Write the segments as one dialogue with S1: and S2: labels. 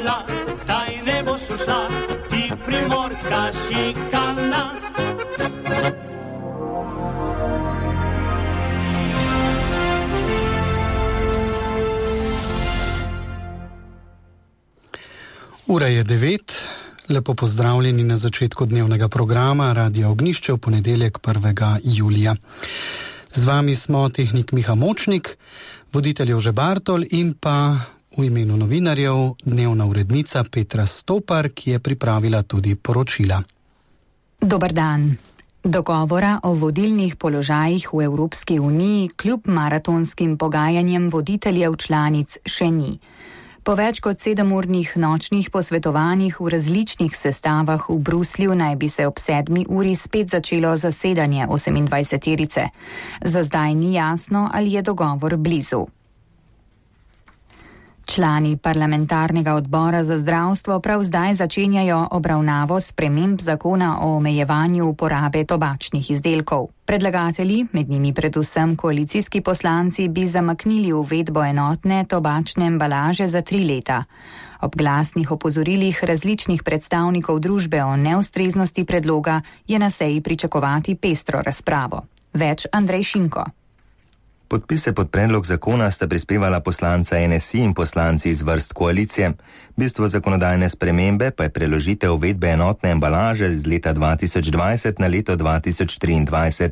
S1: obla, zdaj ne boš ušla, ti Primorka šikana.
S2: Ura je 9, lepo pozdravljeni na začetku dnevnega programa Radia Ognjišče v ponedeljek 1. julija. Z vami smo tehnik Miha Močnik, voditelj Jože Bartol in pa v imenu novinarjev dnevna urednica Petra Stopar, ki je pripravila tudi poročila.
S3: Dober dan. Dogovora o vodilnih položajih v Evropski uniji kljub maratonskim pogajanjem voditeljev članic še ni. Po več kot 7-urnih nočnih posvetovanjih v različnih sestavah v Bruslju naj bi se ob 7. uri spet začelo zasedanje 28-terice. Za zdaj ni jasno, ali je dogovor blizu. Člani parlamentarnega odbora za zdravstvo prav zdaj začenjajo obravnavo sprememb zakona o omejevanju uporabe tobačnih izdelkov. Predlagatelji, med njimi predvsem koalicijski poslanci, bi zamaknili uvedbo enotne tobačne embalaže za 3 leta. Ob glasnih opozorilih različnih predstavnikov družbe o neustreznosti predloga je na seji pričakovati pestro razpravo. Več Andrej Šinko.
S4: Podpise pod predlog zakona sta prispevala poslanca NSI in poslanci iz vrst koalicije. Bistvo zakonodajne spremembe pa je preložitev uvedbe enotne embalaže z leta 2020 na leto 2023.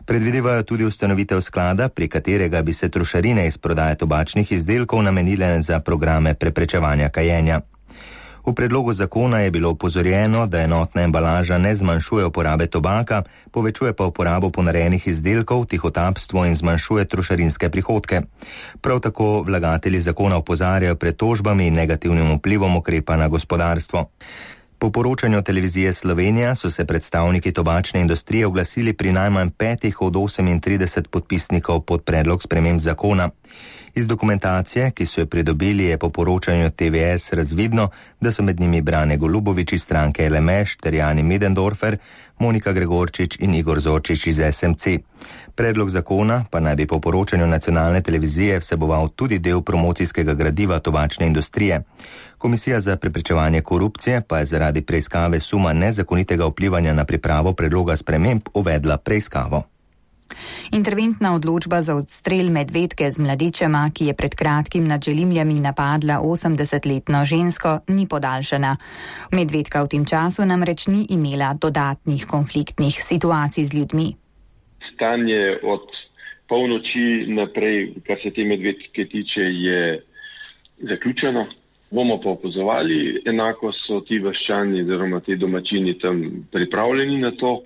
S4: Predvidevajo tudi ustanovitev sklada, pri katerega bi se trošarine iz prodaje tobačnih izdelkov namenile za programe preprečevanja kajenja. V predlogu zakona je bilo opozorjeno, da enotna embalaža ne zmanjšuje uporabe tobaka, povečuje pa uporabo ponarejenih izdelkov, tihotapstvo in zmanjšuje trošarinske prihodke. Prav tako vlagatelji zakona opozarjajo pred tožbami in negativnim vplivom ukrepa na gospodarstvo. Po poročanju televizije Slovenija so se predstavniki tobačne industrije oglasili pri najmanj 5 od 38 podpisnikov pod predlog sprememb zakona. Iz dokumentacije, ki so jo pridobili, je po poročanju TVS razvidno, da so med njimi Brane Golubovič iz stranke LMŠ ter Jani Möderndorfer, Monika Gregorčič in Igor Zorčič iz SMC. Predlog zakona pa naj bi po poročanju nacionalne televizije vseboval tudi del promocijskega gradiva tobačne industrije. Komisija za preprečevanje korupcije pa je zaradi preiskave suma nezakonitega vplivanja na pripravo predloga sprememb uvedla preiskavo.
S3: Interventna odločba za odstrel medvedke z mladičema, ki je pred kratkim nad Želimljami napadla 80-letno žensko, ni podaljšana. Medvedka v tem času namreč ni imela dodatnih konfliktnih situacij z ljudmi.
S5: Stanje od polnoči naprej, kar se te medvedke tiče, je zaključeno. Bomo pa opazovali, enako so ti vaščani oziroma ti domačini tam pripravljeni na to.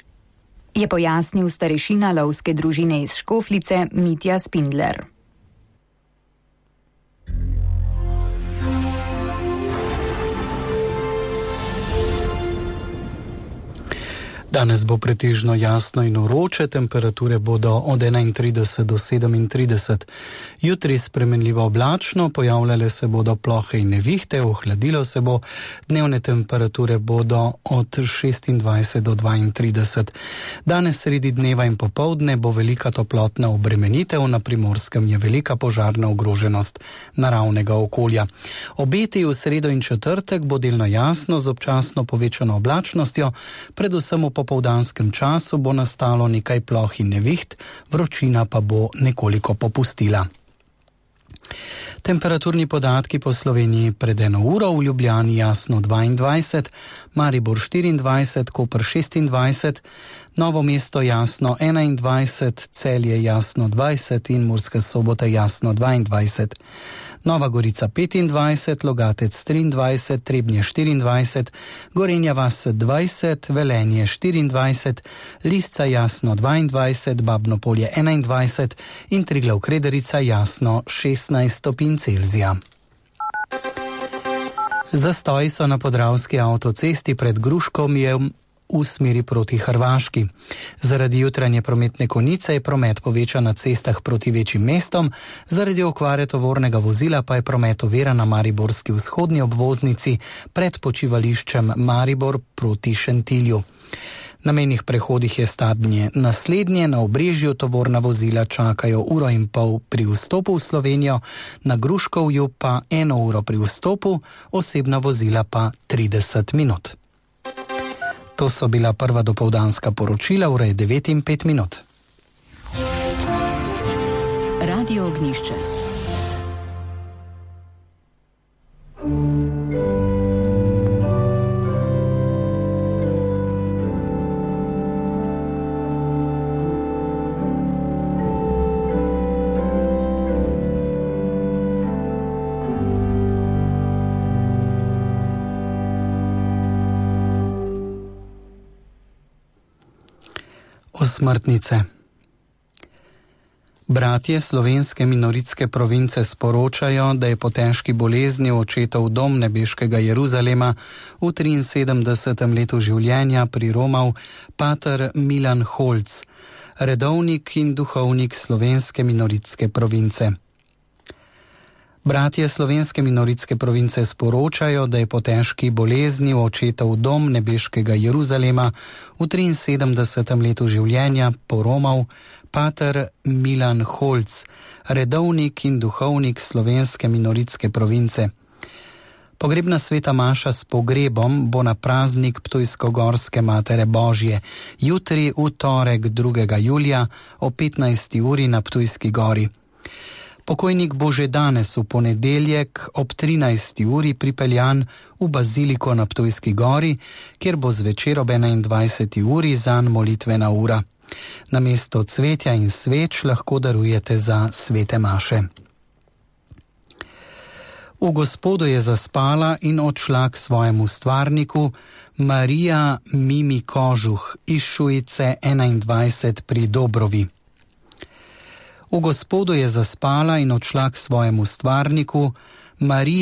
S3: Je pojasnil starešina lovske družine iz Škofljice Mitja Spindler.
S2: Danes bo pretežno jasno in vroče, temperature bodo od 31 do 37. Jutri spremenljivo oblačno, pojavljale se bodo plohe in nevihte, ohladilo se bo, dnevne temperature bodo od 26 do 32. Danes sredi dneva in popoldne bo velika toplotna obremenitev, na Primorskem je velika požarna ogroženost naravnega okolja. Obeti v sredo in četrtek bo delno jasno z občasno povečano oblačnostjo, predvsem v popoldanskem času bo nastalo nekaj ploh in neviht, vročina pa bo nekoliko popustila. Temperaturni podatki po Sloveniji pred 1 uro: v Ljubljani jasno 22, Maribor 24, Koper 26, Novo mesto jasno 21, Celje jasno 20 in Murska Sobota jasno 22. Nova Gorica 25, Logatec 23, Trebnje 24, Gorenja vas 20, Velenje 24, Lisca jasno 22, Babno Polje 21 in Triglav Krederica jasno 16 stopinj Celzija. Zastoji so na Podravski avtocesti pred Gruškovjem v smeri proti Hrvaški. Zaradi jutranje prometne konice je promet povečan na cestah proti večjim mestom, zaradi okvare tovornega vozila pa je promet oviran na mariborski vzhodni obvoznici pred počivališčem Maribor proti Šentilju. Na mejnih prehodih je stanje naslednje, na Obrežju tovorna vozila čakajo 1,5 ure pri vstopu v Slovenijo, na Gruškovju pa 1 uro pri vstopu, osebna vozila pa 30 minut. To so bila prva dopoldanska poročila, ura je 9:05.
S3: Radio Ognjišče.
S2: Osmrtnice. Bratje slovenske minoritske province sporočajo, da je po težki bolezni očetov dom nebeškega Jeruzalema v 73. letu življenja priromal pater Milan Holc, redovnik in duhovnik slovenske minoritske province. Bratje slovenske minoritske province sporočajo, da je po težki bolezni očetov dom nebeškega Jeruzalema v 73. letu življenja poromal pater Milan Holc, redovnik in duhovnik slovenske minoritske province. Pogrebna sveta maša s pogrebom bo na praznik Ptujsko-Gorske Matere Božje, jutri v torek 2. julija o 15. uri na Ptujski gori. Pokojnik bo že danes v ponedeljek ob 13. uri pripeljan v baziliko na Ptujski gori, kjer bo zvečer ob 21. uri zanj molitvena ura. Namesto cvetja in sveč lahko darujete za svete maše. V Gospodu je zaspala in odšla k svojemu stvarniku Marija Mimi Kožuh iz Šujice 21 pri Dobrovi. V Gospodu je zaspala in odšla k svojemu stvarniku Marija